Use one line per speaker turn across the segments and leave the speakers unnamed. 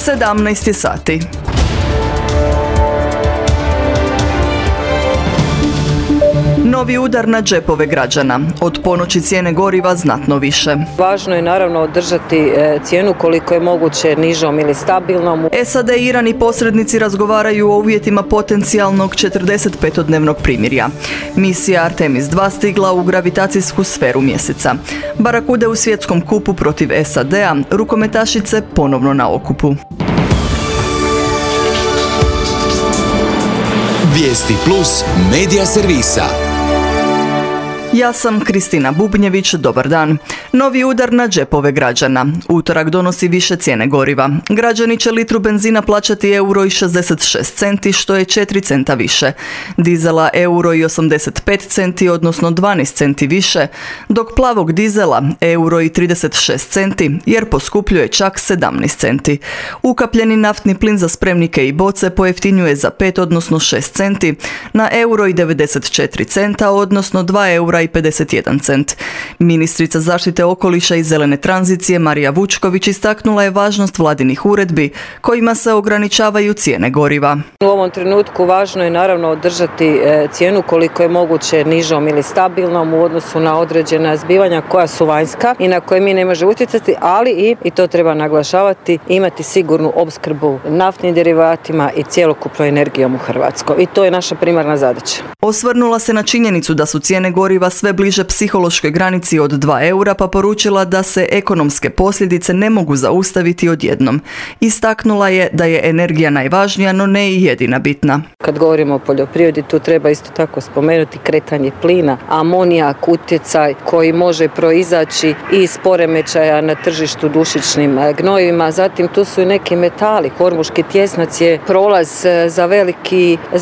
17 sati. Novi udar na džepove građana. Od ponoći cijene goriva znatno više.
Važno je naravno održati cijenu koliko je moguće nižom ili stabilnom.
SAD i Iran i posrednici razgovaraju o uvjetima potencijalnog 45-dnevnog primirja. Misija Artemis 2 stigla u gravitacijsku sferu mjeseca. Barakude u svjetskom kupu protiv SAD-a, rukometašice ponovno na okupu.
Vijesti Plus medija servisa.
Ja sam Kristina Bubnjević, dobar dan. Novi udar na džepove građana. Utorak donosi više cijene goriva. Građani će litru benzina plaćati €1,66, što je 4 centa više. Dizela €1,85, odnosno 12 centi više, dok plavog dizela €1,36, jer poskupljuje čak 17 centi. Ukapljeni naftni plin za spremnike i boce pojeftinjuje za 5, odnosno 6 centi, na €1,94, odnosno €2,51. Ministrica zaštite okoliša i zelene tranzicije Marija Vučković istaknula je važnost vladinih uredbi kojima se ograničavaju cijene goriva.
U ovom trenutku važno je naravno održati cijenu koliko je moguće nižom ili stabilnom u odnosu na određena zbivanja koja su vanjska i na koje mi ne možemo utjecati, ali i to treba naglašavati, imati sigurnu opskrbu naftnim derivatima i cjelokupnom energijom u Hrvatskoj. I to je naša primarna zadaća.
Osvrnula se na činjenicu da su cijene goriva sve bliže psihološkoj granici od €2, pa poručila da se ekonomske posljedice ne mogu zaustaviti odjednom. Istaknula je da je energija najvažnija, no ne i jedina bitna.
Kad govorimo o poljoprivredi, tu treba isto tako spomenuti kretanje plina, amonijak, utjecaj koji može proizaći iz poremećaja na tržištu dušičnim gnojivima. Zatim tu su i neki metali. Hormuški tjesnac je prolaz za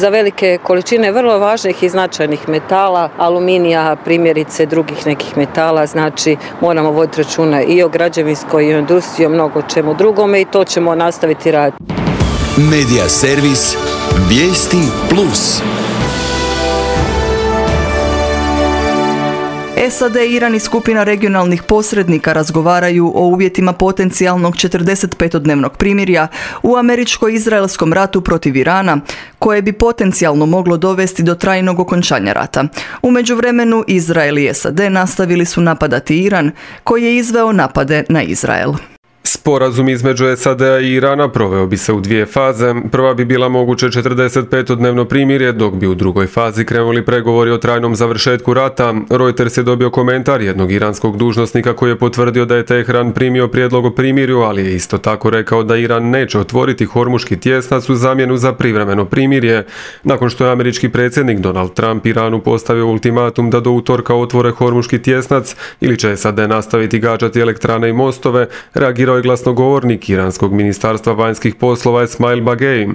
velike količine vrlo važnih i značajnih metala, aluminija, primjerice drugih nekih metala. Znači moramo voditi računa i o građevinskoj i o industriji, o mnogo čemu drugome i to ćemo nastaviti raditi.
Medija servis Vijesti Plus.
SAD, Iran i skupina regionalnih posrednika razgovaraju o uvjetima potencijalnog 45-dnevnog primirja u američko-izraelskom ratu protiv Irana, koje bi potencijalno moglo dovesti do trajnog okončanja rata. U međuvremenu Izrael i SAD nastavili su napadati Iran, koji je izveo napade na Izrael.
Sporazum između SAD-a i Irana proveo bi se u 2 faze. Prva bi bila moguće 45-dnevno primirje, dok bi u drugoj fazi krenuli pregovori o trajnom završetku rata. Reuters je dobio komentar jednog iranskog dužnosnika koji je potvrdio da je Teheran primio prijedlog o primirju, ali je isto tako rekao da Iran neće otvoriti Hormuški tjesnac u zamjenu za privremeno primirje. Nakon što je američki predsjednik Donald Trump Iranu postavio ultimatum da do utorka otvore Hormuški tjesnac ili će SAD nastaviti gađati elektrane i mostove, reagirao je glasnogovornik iranskog ministarstva vanjskih poslova Esmail Bagei.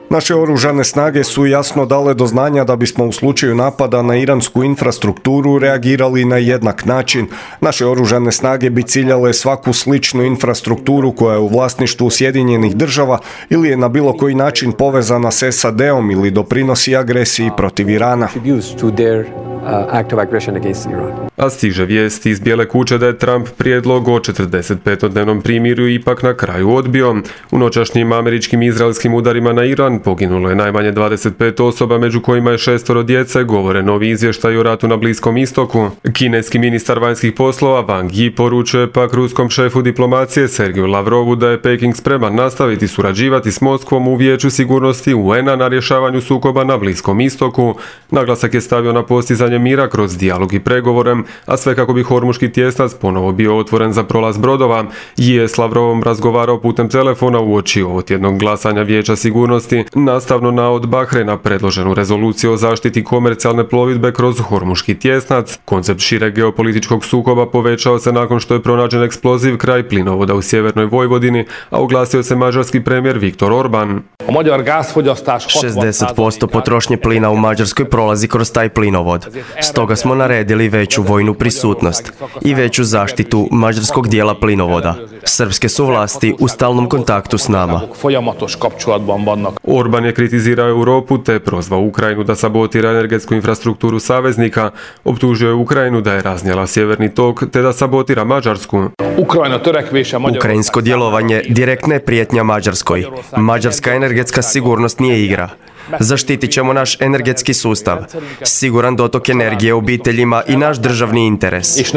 Naše oružane snage su jasno dale do znanja da bismo u slučaju napada na iransku infrastrukturu reagirali na jednak način. Naše oružane snage bi ciljale svaku sličnu infrastrukturu koja je u vlasništvu Sjedinjenih država ili je na bilo koji način povezana s SAD-om ili doprinosi agresiji protiv Irana.
A stiže vijest iz Bijele kuće da je Trump prijedlog o 45-dnevnom primirju ipak na kraju odbio. U noćašnjim američkim i izraelskim udarima na Iran poginulo je najmanje 25 osoba, među kojima je 6 djece, govore novi izvještaj o ratu na Bliskom istoku. Kineski ministar vanjskih poslova Wang Yi poručuje pak ruskom šefu diplomacije Sergeju Lavrovu da je Peking spreman nastaviti surađivati s Moskvom u Vijeću sigurnosti UN-a na rješavanju sukoba na Bliskom istoku. Naglasak je stavio na postizanje mira kroz dijalog i pregovore, a sve kako bi Hormuški tjesnac ponovo bio otvoren za prolaz brodova. Yi je s Lavrovom razgovarao putem telefona uoči ovotjednog glasanja Vijeća sigurnosti, nastavno na od Bahrena predloženu rezoluciju o zaštiti komercijalne plovidbe kroz Hormuški tjesnac. Koncept šireg geopolitičkog sukoba povećao se nakon što je pronađen eksploziv kraj plinovoda u sjevernoj Vojvodini, a oglasio se mađarski premijer Viktor Orban.
60% potrošnje plina u Mađarskoj prolazi kroz taj plinovod. Stoga smo naredili veću vojnu prisutnost i veću zaštitu mađarskog dijela plinovoda. Srpske su vlasti u stalnom kontaktu s nama.
Orban je kritizirao Europu te prozvao Ukrajinu da sabotira energetsku infrastrukturu saveznika, optužio je Ukrajinu da je raznijela sjeverni tok te da sabotira Mađarsku.
Ukrajinsko djelovanje direktna je prijetnja Mađarskoj. Mađarska energetska sigurnost nije igra. Zaštitit ćemo naš energetski sustav, siguran dotok energije obiteljima i naš državni interes.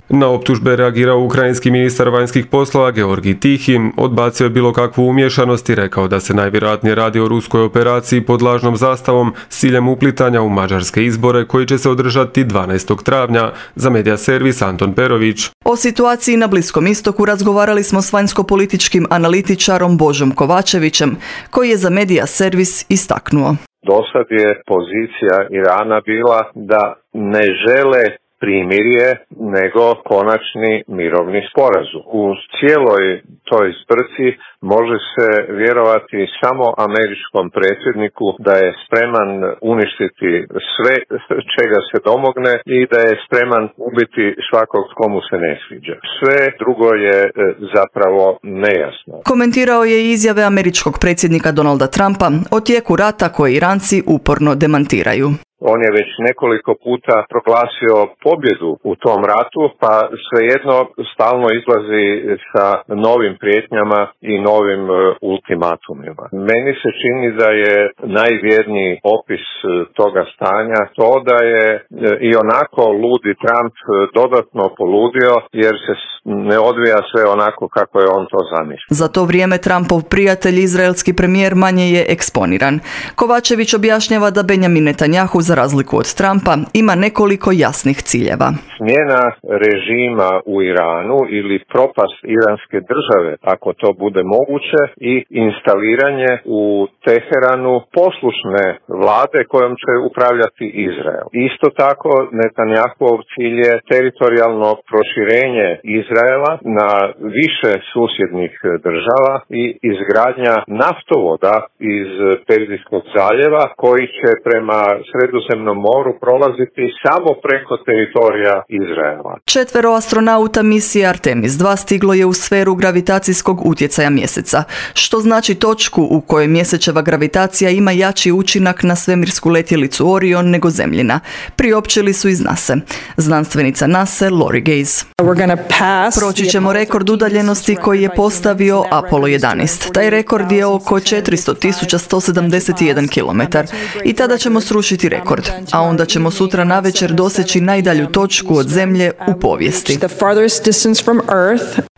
Na optužbe reagirao ukrajinski ministar vanjskih poslova Georgij Tihi, odbacio je bilo kakvu umješanost i rekao da se najvjerojatnije radi o ruskoj operaciji pod lažnom zastavom s ciljem uplitanja u mađarske izbore koji će se održati 12. travnja, za Medija servis Anton Perović.
O situaciji na Bliskom istoku razgovarali smo s vanjsko-političkim analitičarom Božom Kovačevićem, koji je za Medija servis istaknuo.
Dosad je pozicija Irana bila da ne žele primirje, nego konačni mirovni sporazum. U cijeloj toj zbrci može se vjerovati samo američkom predsjedniku da je spreman uništiti sve čega se domogne i da je spreman ubiti svakog komu se ne sviđa. Sve drugo je zapravo nejasno.
Komentirao je i izjave američkog predsjednika Donalda Trumpa o tijeku rata koje Iranci uporno demantiraju.
On je već nekoliko puta proglasio pobjedu u tom ratu, pa svejedno stalno izlazi sa novim prijetnjama i novim ultimatumima. Meni se čini da je najvjerniji opis toga stanja to da je i onako ludi Trump dodatno poludio jer se ne odvija sve onako kako je on to zamislio.
Za to vrijeme Trumpov prijatelj, izraelski premijer, manje je eksponiran. Kovačević objašnjava da Benjamin Netanjahu, za razliku od Trumpa, ima nekoliko jasnih ciljeva.
Smjena režima u Iranu ili propast iranske države, ako to bude moguće, i instaliranje u Teheranu poslušne vlade kojom će upravljati Izrael. Isto tako, Netanjahov cilj je teritorijalno proširenje Izraela na više susjednih država i izgradnja naftovoda iz Perzijskog zaljeva koji će prema Sredozemnom moru prolaziti samo preko teritorija Izraela.
4 astronauta misije Artemis 2 stiglo je u sferu gravitacijskog utjecaja mjeseca, što znači točku u kojoj mjesečeva gravitacija ima jači učinak na svemirsku letjelicu Orion nego Zemljina, priopćili su iz NASA. Znanstvenica NASA Lori Gaze. Proći ćemo rekord udaljenosti koji je postavio Apollo 11. Taj rekord je oko 400.171 km i tada ćemo srušiti rekord, a onda ćemo sutra navečer doseći najdalju točku od Zemlje u povijesti.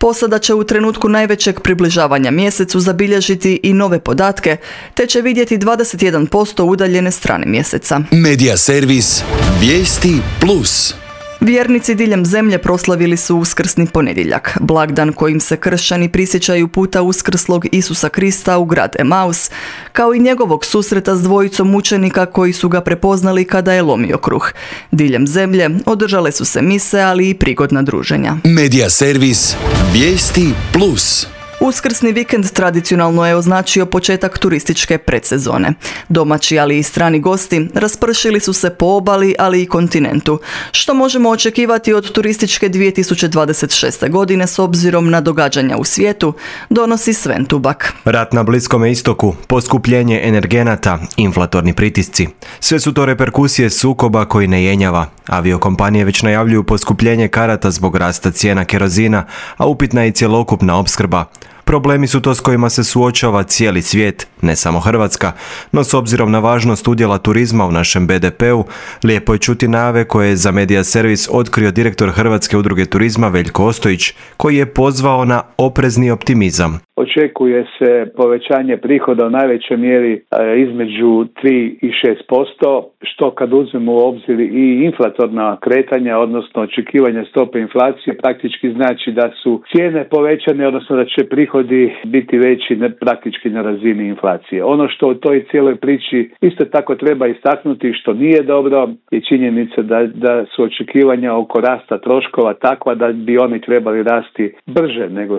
Posada će u trenutku najvećeg približavanja mjesecu zabilježiti i nove podatke, te će vidjeti 21% udaljene strane mjeseca.
Medija servis Vijesti Plus.
Vjernici diljem zemlje proslavili su Uskrsni ponedjeljak, blagdan kojim se kršćani prisjećaju puta uskrslog Isusa Krista u grad Emaus, kao i njegovog susreta s dvojicom mučenika koji su ga prepoznali kada je lomio kruh. Diljem zemlje održale su se mise, ali i prigodna druženja.
Medija servis Vijesti Plus.
Uskrsni vikend tradicionalno je označio početak turističke predsezone. Domaći, ali i strani gosti raspršili su se po obali, ali i kontinentu. Što možemo očekivati od turističke 2026. godine s obzirom na događanja u svijetu, donosi Sven Tubak.
Rat na Bliskome istoku, poskupljenje energenata, inflatorni pritisci. Sve su to reperkusije sukoba koji ne jenjava. Aviokompanije već najavljuju poskupljenje karata zbog rasta cijena kerozina, a upitna je i cjelokupna opskrba. Problemi su to s kojima se suočava cijeli svijet, ne samo Hrvatska, no s obzirom na važnost udjela turizma u našem BDP-u, lijepo je čuti najave koje je za Medija servis otkrio direktor Hrvatske udruge turizma Veljko Ostojić, koji je pozvao na oprezni optimizam.
Očekuje se povećanje prihoda u najvećoj mjeri između 3 i 6%, što kad uzmemo u obzir i inflatorna kretanja, odnosno očekivanja stope inflacije, praktički znači da su cijene povećane, odnosno da će prihodi biti veći praktički na razini inflacije. Ono što u toj cijeloj priči isto tako treba istaknuti, što nije dobro, je činjenica da su očekivanja oko rasta troškova takva da bi oni trebali rasti brže nego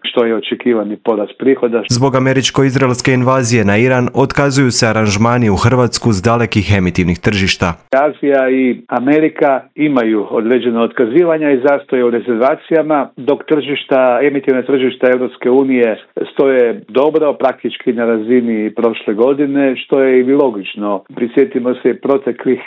što je očekivani porast prihoda.
Zbog američko-izraelske invazije na Iran otkazuju se aranžmani u Hrvatsku s dalekih emitivnih tržišta.
Azija i Amerika imaju određeno otkazivanja i zastoje u rezervacijama, dok emitivne tržišta Europske unije stoje dobro, praktički na razini prošle godine, što je i logično. Prisjetimo se proteklih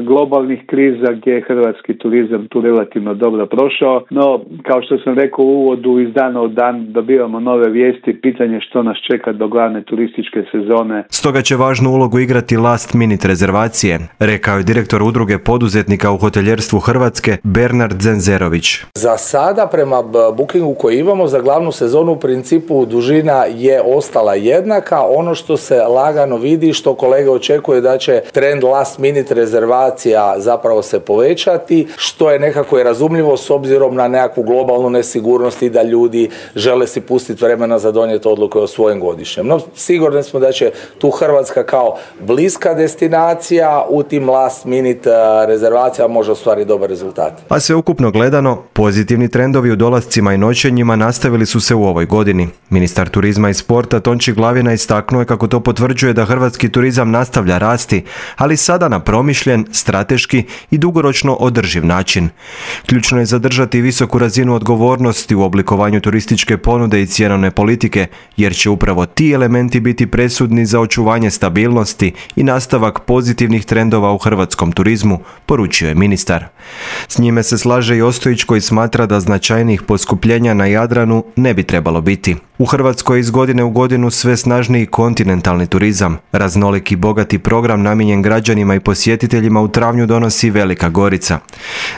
globalnih kriza gdje je hrvatski turizam tu relativno dobro prošao, no kao što sam rekao u uvodu, iz dana u dan dobivamo nove vijesti, pitanje što nas čeka do glavne turističke sezone.
Stoga će važnu ulogu igrati last minute rezervacije, rekao je direktor udruge poduzetnika u hoteljerstvu Hrvatske Bernard Zenzerović.
Za sada prema bookingu koji imamo za glavnu sezonu u principu dužina je ostala jednaka. Ono što se lagano vidi, što kolege očekuje da će trend last minute rezervacija zapravo se povećati, što je nekako i razumljivo s obzirom na nekakvu globalnu nesigurnost i da ljudi žele si pustiti vremena za donijeti odluke o svojem godišnjem. No, sigurni smo da će tu Hrvatska kao bliska destinacija u tim last minute rezervacijama može ostvariti dobar rezultat.
A sveukupno gledano, pozitivni trendovi u dolascima i noćenjima nastavili su se u ovoj godini. Ministar turizma i sporta Tonči Glavina istaknuo je kako to potvrđuje da hrvatski turizam nastavlja rasti, ali sada na promišljen, strateški i dugoročno održiv način. Ključno je zadržati visoku razinu odgovornosti u oblikovanju turističke ponude i cjenovne politike, jer će upravo ti elementi biti presudni za očuvanje stabilnosti i nastavak pozitivnih trendova u hrvatskom turizmu, poručio je ministar. S njime se slaže i Ostojić koji smatra da značajnijih poskupljenja na Jadranu ne bi trebalo biti. U Hrvatskoj iz godine u godinu sve snažniji kontinentalni turizam. Raznoliki i bogati program namijenjen građanima i posjetiteljima u travnju donosi Velika Gorica.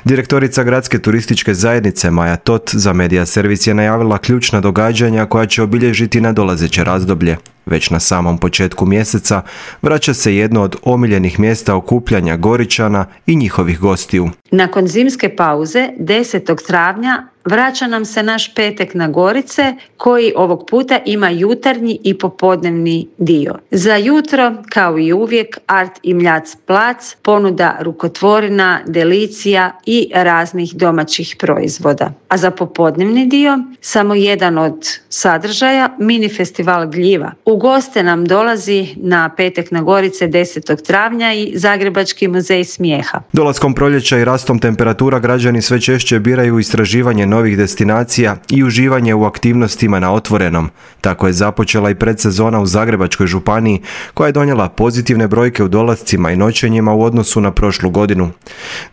Direktorica Gradske turističke zajednice Maja Tot za Media Servis je najavila ključna događanja koja će obilježiti nadolazeće razdoblje. Već na samom početku mjeseca vraća se jedno od omiljenih mjesta okupljanja Goričana i njihovih gostiju.
Nakon zimske pauze 10. travnja vraća nam se naš petek na Gorice koji ovog puta ima jutarnji i popodnevni dio. Za jutro, kao i uvijek, Art i Mljac plac, ponuda rukotvorina, delicija i raznih domaćih proizvoda. A za popodnevni dio, samo jedan od sadržaja, mini festival gljiva. U goste nam dolazi na petek na Gorice 10. travnja i Zagrebački muzej smijeha.
Dolaskom proljeća i rastom temperatura građani sve češće biraju istraživanje novih destinacija i uživanje u aktivnostima na otvorenom. Tako je započela i predsezona u Zagrebačkoj županiji koja je donijela pozitivne brojke u dolascima i noćenjima u odnosu na prošlu godinu.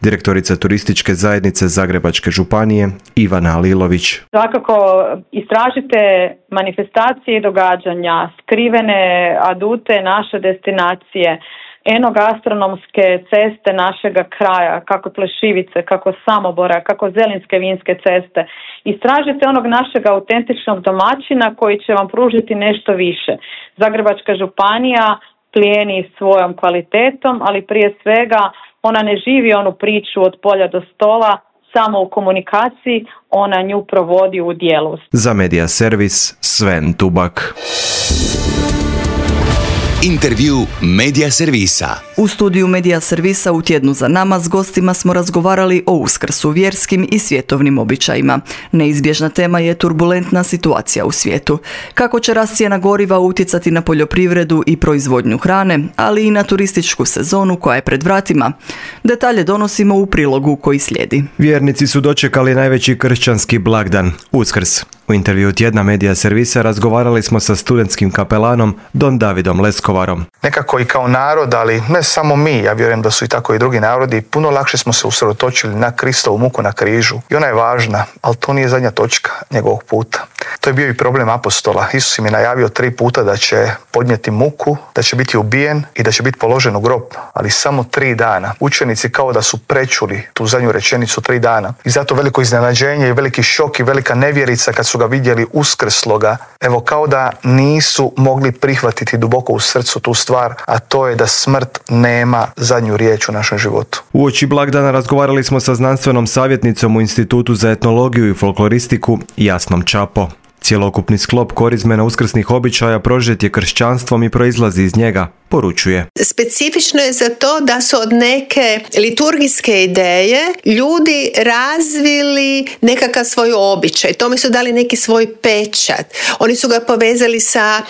Direktorica turističke zajednice Zagrebačke županije Ivana Alilović.
Svakako istražite manifestacije i događanja, skrivene adute naše destinacije, enogastronomske ceste našega kraja, kako Plešivice, kako Samobora, kako Zelinske vinske ceste. Istražite onog našeg autentičnog domaćina koji će vam pružiti nešto više. Zagrebačka županija plijeni svojom kvalitetom, ali prije svega ona ne živi onu priču od polja do stola, samo u komunikaciji, ona nju provodi u djelu.
Za Media Servis Sven Tubak.
Intervju Media Servisa.
U studiju Media Servisa u tjednu za nama s gostima smo razgovarali o Uskrsu, vjerskim i svjetovnim običajima. Neizbježna tema je turbulentna situacija u svijetu. Kako će rast cijena goriva utjecati na poljoprivredu i proizvodnju hrane, ali i na turističku sezonu koja je pred vratima? Detalje donosimo u prilogu koji slijedi.
Vjernici su dočekali najveći kršćanski blagdan, Uskrs. U intervju tjedna Media Servisa razgovarali smo sa studentskim kapelanom Don Davidom Leskovarom.
Nekako i kao narod, ali ne samo mi, ja vjerujem da su i tako i drugi narodi, puno lakše smo se usredotočili na Kristovu muku na križu. I ona je važna, ali to nije zadnja točka njegovog puta. To je bio i problem apostola. Isus im je najavio 3 puta da će podnijeti muku, da će biti ubijen i da će biti položen u grob, ali samo 3 dana. Učenici kao da su prečuli tu zadnju rečenicu 3 dana. I zato veliko iznenađenje i veliki šok i velika nevjerica kad su ga vidjeli uskrsloga. Evo kao da nisu mogli prihvatiti duboko u srcu tu stvar, a to je da smrt nema zadnju riječ u našem životu.
Uoči blagdana razgovarali smo sa znanstvenom savjetnicom u Institutu za etnologiju i folkloristiku Jasnom Čapo. Cjelokupni sklop korizme na uskrsnih običaja prožet je kršćanstvom i proizlazi iz njega, poručuje.
Specifično je za to da su od neke liturgijske ideje ljudi razvili nekakav svoj običaj. Tome su dali neki svoj pečat. Oni su ga povezali sa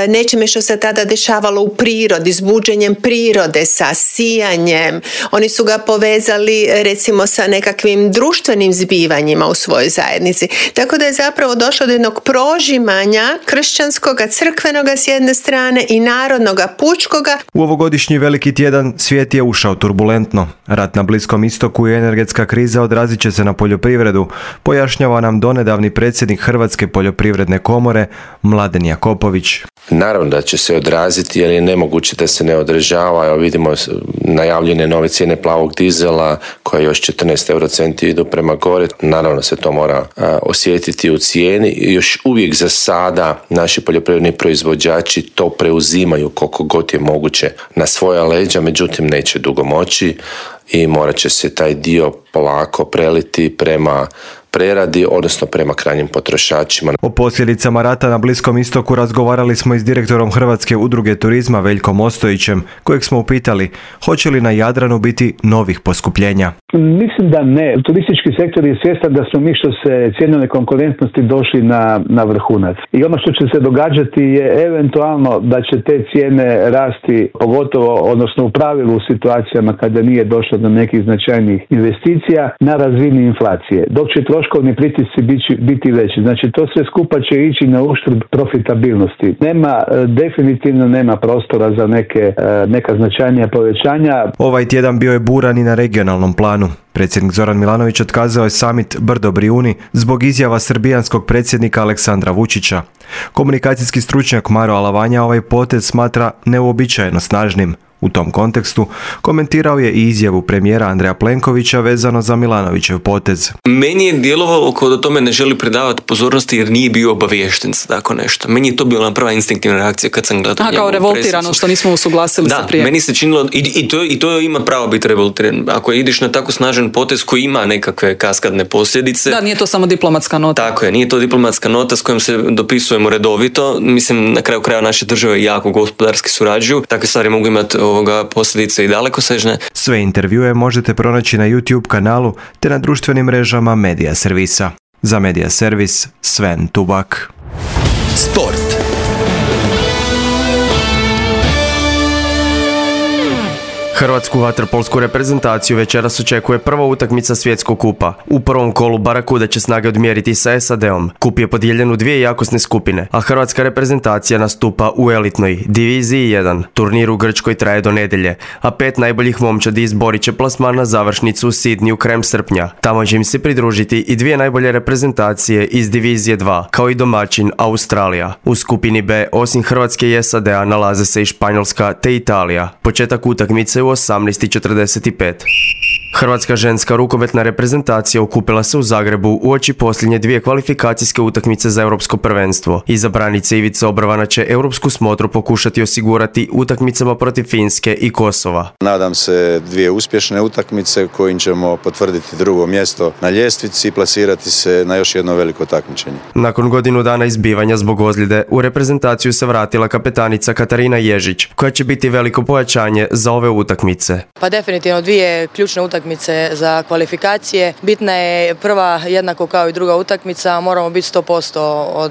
nečime što se tada dešavalo u prirodi, s buđenjem prirode, sa sijanjem. Oni su ga povezali recimo sa nekakvim društvenim zbivanjima u svojoj zajednici. Tako da je zapravo došlo do jednog prožimanja kršćanskoga, crkvenoga s jedne strane i narodnoga pučkoga.
U ovogodišnji veliki tjedan svijet je ušao turbulentno. Rat na Bliskom istoku i energetska kriza odrazit će se na poljoprivredu, pojašnjava nam donedavni predsjednik Hrvatske poljoprivredne komore Mladen Jakopović.
Naravno da će se odraziti, jer je nemoguće da se ne odražava. Evo vidimo najavljene nove cijene plavog dizela koje još 14 eurocenti idu prema gore. Naravno se to mora osjetiti u cijeni. Još uvijek za sada naši poljoprivredni proizvođači to preuzimaju koliko god je moguće na svoja leđa, međutim neće dugo moći i morat će se taj dio polako preliti prema preradi, odnosno prema krajnjim potrošačima.
O posljedicama rata na Bliskom istoku razgovarali smo i s direktorom Hrvatske udruge turizma Veljkom Ostojićem, kojeg smo upitali hoće li na Jadranu biti novih poskupljenja.
Mislim da ne. Turistički sektor je svjestan da smo mi što se cjenovne konkurentnosti došli na vrhunac. I ono što će se događati je eventualno da će te cijene rasti, pogotovo, odnosno u pravilu u situacijama kada nije došlo do nekih značajnih investicija, na razini inflacije. Dok će troškovni pritisci biti veći. Znači to sve skupa će ići na uštrb profitabilnosti. Definitivno nema prostora za neka značajnija povećanja.
Ovaj tjedan bio je buran i na regionalnom planu. Predsjednik Zoran Milanović otkazao je summit Brdo-Brijuni zbog izjava srbijanskog predsjednika Aleksandra Vučića. Komunikacijski stručnjak Maro Alavanja ovaj potez smatra neuobičajeno snažnim. U tom kontekstu komentirao je i izjavu premijera Andreja Plenkovića vezano za Milanovićev potez.
Meni je djelovalo kao da tome ne želi predavati pozornosti jer nije bio obaviješten za tako nešto. Meni je to bila prva instinktivna reakcija kad sam gledao njegovu
kao revoltirano presicu. Što nismo usuglasili se prije.
Da, meni se činilo i to ima pravo biti revoltiran. Ako ideš na tako snažan potez koji ima nekakve kaskadne posljedice.
Da, nije to samo diplomatska nota.
Tako je, nije to diplomatska nota s kojom se dopisujemo redovito. Mislim, na kraju kraja naše države jako gospodarski surađuju. Takve stvari mogu imati posljedice i dalekosežne.
Sve intervjue možete pronaći na YouTube kanalu te na društvenim mrežama Medija Servisa. Za Medija Servis, Sven Tubak.
Sport.
Hrvatsku vaterpolsku reprezentaciju večeras očekuje prva utakmica svjetskog kupa. U prvom kolu Barakuda će snage odmjeriti sa SAD-om. Kup je podijeljen u dvije jakosne skupine, a hrvatska reprezentacija nastupa u elitnoj diviziji 1. Turnir u Grčkoj traje do nedjelje, a 5 najboljih momčadi izborit će plasman na završnicu u Sidniju krajem srpnja. Tamo će im se pridružiti i dvije najbolje reprezentacije iz divizije 2, kao i domaćin Australija. U skupini B, osim Hrvatske i SAD-a, nalaze se i Španjolska te Italija. Početak utakmice u 18:45. Hrvatska ženska rukometna reprezentacija okupila se u Zagrebu uoči posljednje dvije kvalifikacijske utakmice za europsko prvenstvo. Izabranica Ivica Obrovana će europsku smotru pokušati osigurati utakmicama protiv Finske i Kosova.
Nadam se dvije uspješne utakmice kojim ćemo potvrditi drugo mjesto na ljestvici i plasirati se na još jedno veliko takmičenje.
Nakon godinu dana izbivanja zbog ozljede, u reprezentaciju se vratila kapetanica Katarina Ježić, koja će biti veliko pojačanje za ove utakmice.
Pa definitivno dvije ključne utakmice za kvalifikacije. Bitna je prva jednako kao i druga utakmica, moramo biti 100%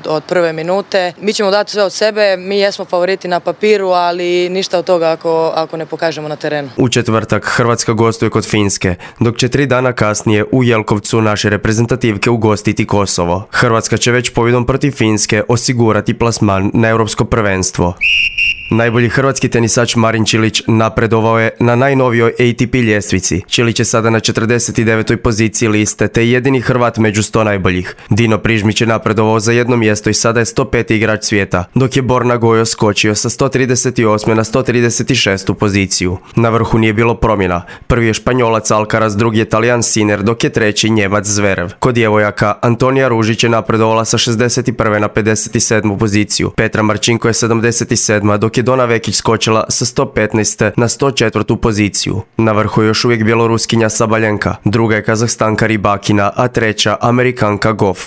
od prve minute. Mi ćemo dati sve od sebe, mi jesmo favoriti na papiru, ali ništa od toga ako ne pokažemo na terenu.
U četvrtak Hrvatska gostuje kod Finske, dok će 3 dana kasnije u Jelkovcu naše reprezentativke ugostiti Kosovo. Hrvatska će već pobjedom protiv Finske osigurati plasman na europsko prvenstvo. Najbolji hrvatski tenisač Marin Čilić napredovao je na najnovijoj ATP ljestvici. Čilić je sada na 49. poziciji liste, te jedini Hrvat među 100 najboljih. Dino Prižmić je napredovao za jedno mjesto i sada je 105. igrač svijeta, dok je Borna Gojo skočio sa 138. na 136. poziciju. Na vrhu nije bilo promjena. Prvi je Španjolac Alcaraz, drugi je Talijan Sinner, dok je treći Njemac Zverev. Kod djevojaka Antonija Ružić je napredovala sa 61. na 57. poziciju. Petra Marčinko je 77. dok je Dona Vekić skočila sa 115. na 104. poziciju. Na vrhu je još uvijek bjeloruskinja Sabaljenka, druga je Kazahstanka Ribakina, a treća Amerikanka Goff.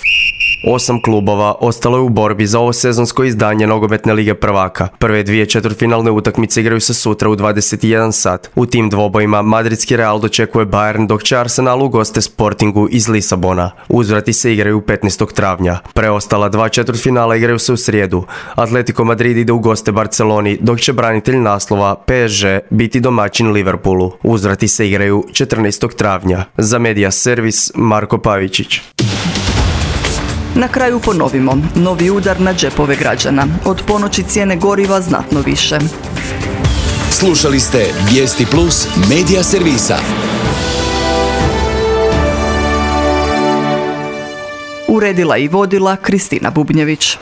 8 klubova ostalo je u borbi za ovo sezonsko izdanje Nogometne lige prvaka. Prve dvije četvrtfinalne utakmice igraju se sutra u 21 sat. U tim dvobojima madridski Real dočekuje Bayern, dok će Arsenal ugoste Sportingu iz Lisabona. Uzvrati se igraju 15. travnja. Preostala dva četvrtfinala igraju se u srijedu. Atletico Madrid ide u goste Barceloni, dok će branitelj naslova PSG biti domaćin Liverpoolu. Uzvrati se igraju 14. travnja. Za Media Servis, Marko Pavičić.
Na kraju ponovimo, novi udar na džepove građana. Od ponoći cijene goriva znatno više.
Slušali ste Vijesti Plus Media Servisa.
Uredila i vodila Kristina Bubnjević.